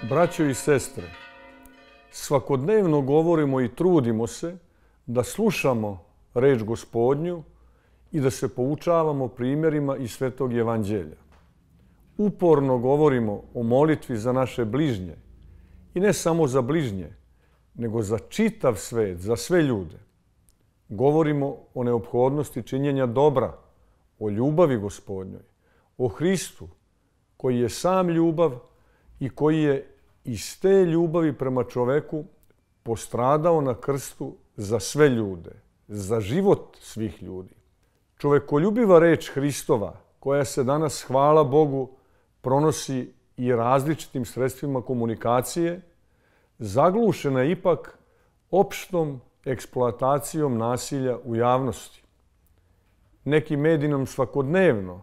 Braćo i sestre, svakodnevno govorimo i trudimo se da slušamo reč Gospodnju i da se poučavamo primjerima iz Svetog Evanđelja. Uporno govorimo o molitvi za naše bližnje i ne samo za bližnje, nego za čitav svet, za sve ljude. Govorimo o neophodnosti činjenja dobra, o ljubavi Gospodnjoj, o Hristu koji je sam ljubav i koji je iz te ljubavi prema čoveku postradao na krstu za sve ljude, za život svih ljudi. Čovekoljubiva reč Hristova, koja se danas, hvala Bogu, pronosi i različitim sredstvima komunikacije, zaglušena je ipak opštom eksploatacijom nasilja u javnosti. Neki mediji nam svakodnevno,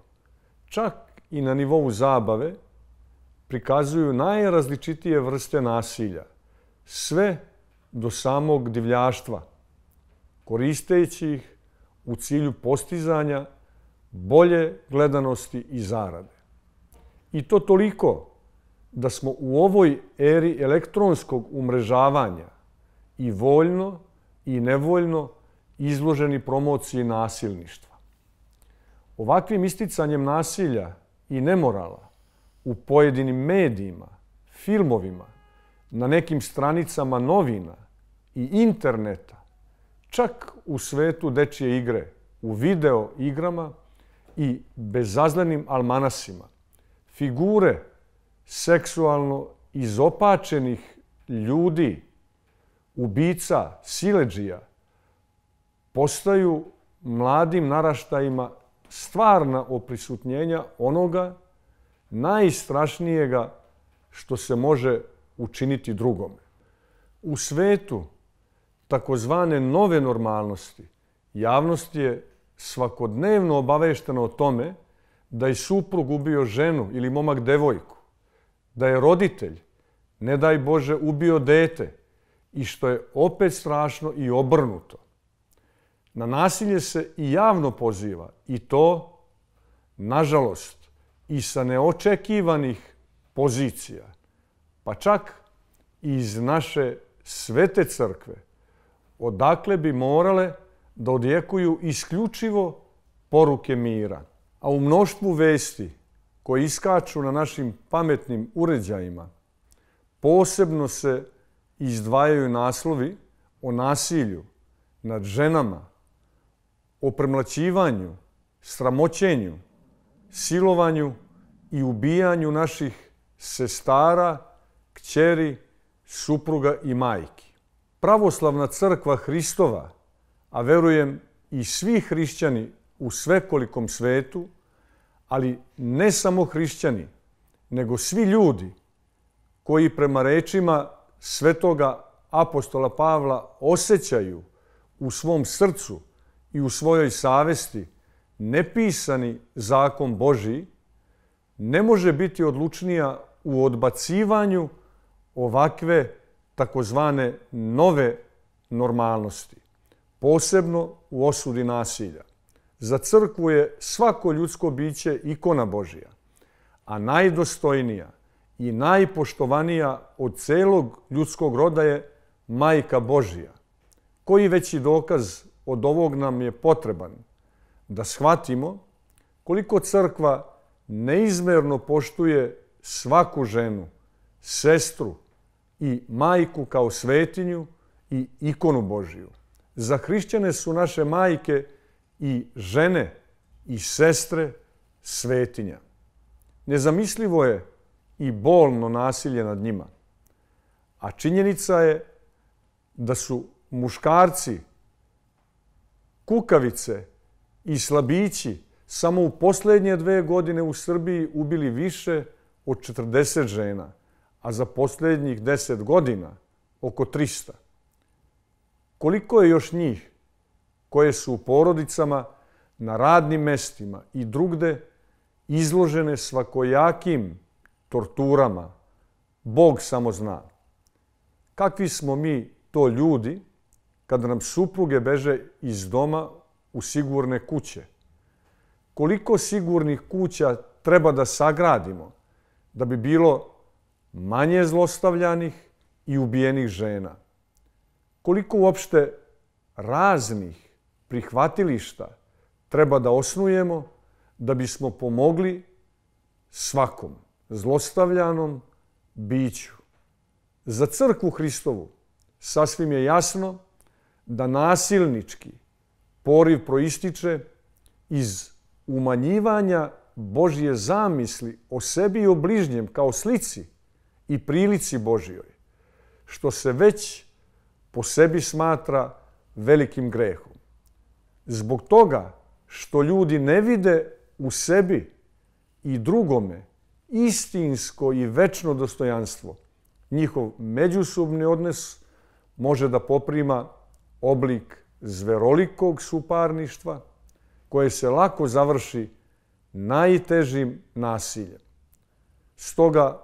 čak i na nivou zabave, prikazuju najrazličitije vrste nasilja, sve do samog divljaštva, koristeći ih u cilju postizanja bolje gledanosti i zarade. I to toliko da smo u ovoj eri elektronskog umrežavanja i voljno i nevoljno izloženi promociji nasilništva. Ovakvim isticanjem nasilja i nemorala u pojedinim medijima, filmovima, na nekim stranicama novina i interneta, čak u svetu dečje igre, u video igrama i bezazlenim almanasima, figure seksualno izopačenih ljudi, ubica, siledžija, postaju mladim naraštajima stvarna oprisutnjenja onoga najstrašnijega što se može učiniti drugome. U svetu takozvane nove normalnosti javnost je svakodnevno obaveštena o tome da je suprug ubio ženu ili momak devojku, da je roditelj, ne daj Bože, ubio dete i što je opet strašno i obrnuto. Na nasilje se i javno poziva i to, nažalost, i sa neočekivanih pozicija, pa čak i iz naše svete crkve, odakle bi morale da odjekuju isključivo poruke mira. A u mnoštvu vesti koje iskaču na našim pametnim uređajima, posebno se izdvajaju naslovi o nasilju nad ženama, o premlaćivanju, sramoćenju, silovanju i ubijanju naših sestara, kćeri, supruga i majki. Pravoslavna crkva Hristova, a verujem i svi hrišćani u svekolikom svetu, ali ne samo hrišćani, nego svi ljudi koji prema rečima svetoga apostola Pavla osjećaju u svom srcu i u svojoj savesti nepisani zakon Božji, ne može biti odlučnija u odbacivanju ovakve takozvane nove normalnosti, posebno u osudi nasilja. Za crkvu je svako ljudsko biće ikona Božja, a najdostojnija i najpoštovanija od celog ljudskog roda je Majka Božja. Koji veći dokaz od ovog nam je potreban da shvatimo koliko crkva neizmerno poštuje svaku ženu, sestru i majku kao svetinju i ikonu Božju. Za hrišćane su naše majke i žene i sestre svetinja. Nezamislivo je i bolno nasilje nad njima. A činjenica je da su muškarci, kukavice i slabići samo u posljednje 2 godine u Srbiji ubili više od 40 žena, a za posljednjih 10 godina oko 300. Koliko je još njih koje su u porodicama, na radnim mestima i drugde izložene svakojakim torturama, Bog samo zna. Kakvi smo mi to ljudi kada nam supruge beže iz doma u sigurne kuće? Koliko sigurnih kuća treba da sagradimo da bi bilo manje zlostavljanih i ubijenih žena. Koliko uopšte raznih prihvatilišta treba da osnujemo da bismo pomogli svakom zlostavljanom biću. Za crkvu Hristovu sasvim je jasno da nasilnički poriv proističe iz umanjivanja Božje zamisli o sebi i o bližnjem kao slici i prilici Božjoj, što se već po sebi smatra velikim grehom. Zbog toga što ljudi ne vide u sebi i drugome istinsko i večno dostojanstvo, njihov međusobni odnos može da poprima oblik zverolikog suparništva koje se lako završi najtežim nasiljem. Stoga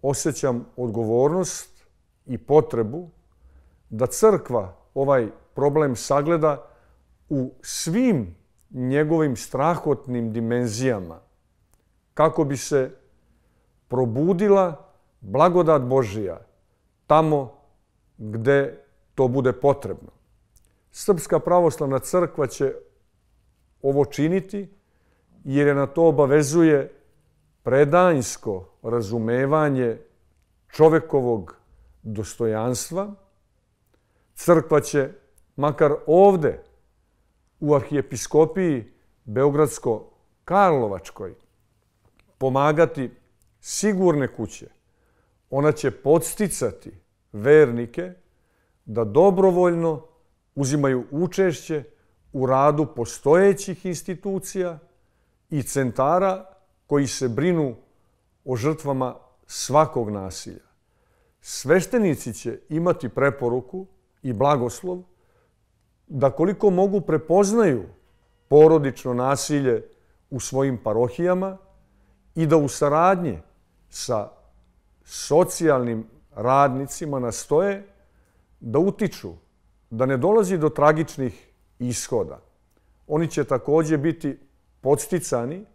osjećam odgovornost i potrebu da crkva ovaj problem sagleda u svim njegovim strahotnim dimenzijama, kako bi se probudila blagodat Božija tamo gde to bude potrebno. Srpska pravoslavna crkva će ovo činiti jer je na to obavezuje predanjsko razumevanje čovekovog dostojanstva. Crkva će, makar ovde u arhijepiskopiji Beogradsko-Karlovačkoj, pomagati sigurne kuće. Ona će podsticati vernike da dobrovoljno uzimaju učešće u radu postojećih institucija i centara koji se brinu o žrtvama svakog nasilja. Sveštenici će imati preporuku i blagoslov da koliko mogu prepoznaju porodično nasilje u svojim parohijama i da u saradnji sa socijalnim radnicima nastoje da utiču da ne dolazi do tragičnih ishoda. Oni će također biti podsticani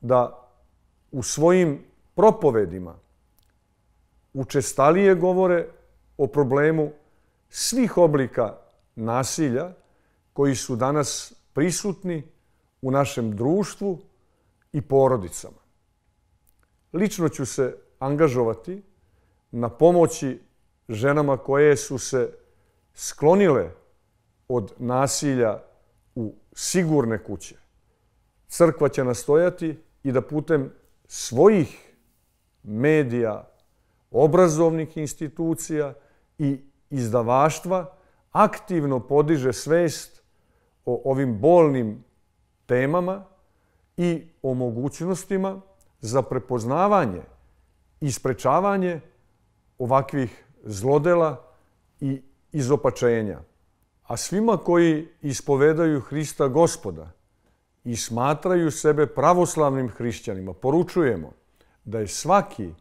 da u svojim propovedima učestalije govore o problemu svih oblika nasilja koji su danas prisutni u našem društvu i porodicama. Lično ću se angažovati na pomoći ženama koje su se sklonile od nasilja u sigurne kuće. Crkva će nastojati i da putem svojih medija, obrazovnih institucija i izdavaštva aktivno podiže svest o ovim bolnim temama i o mogućnostima za prepoznavanje i sprečavanje ovakvih zlodela i izopačenja. A svima koji ispovedaju Hrista Gospoda i smatraju sebe pravoslavnim hrišćanima, poručujemo da je svaki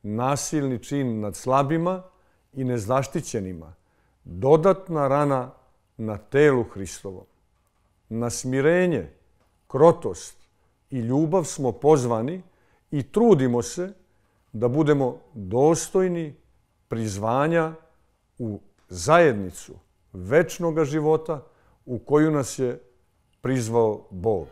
nasilni čin nad slabima i nezaštićenima dodatna rana na telu Hristovom. Na smirenje, krotost i ljubav smo pozvani i trudimo se da budemo dostojni prizvanja u zajednicu večnoga života u koju nas je prizvao Bog.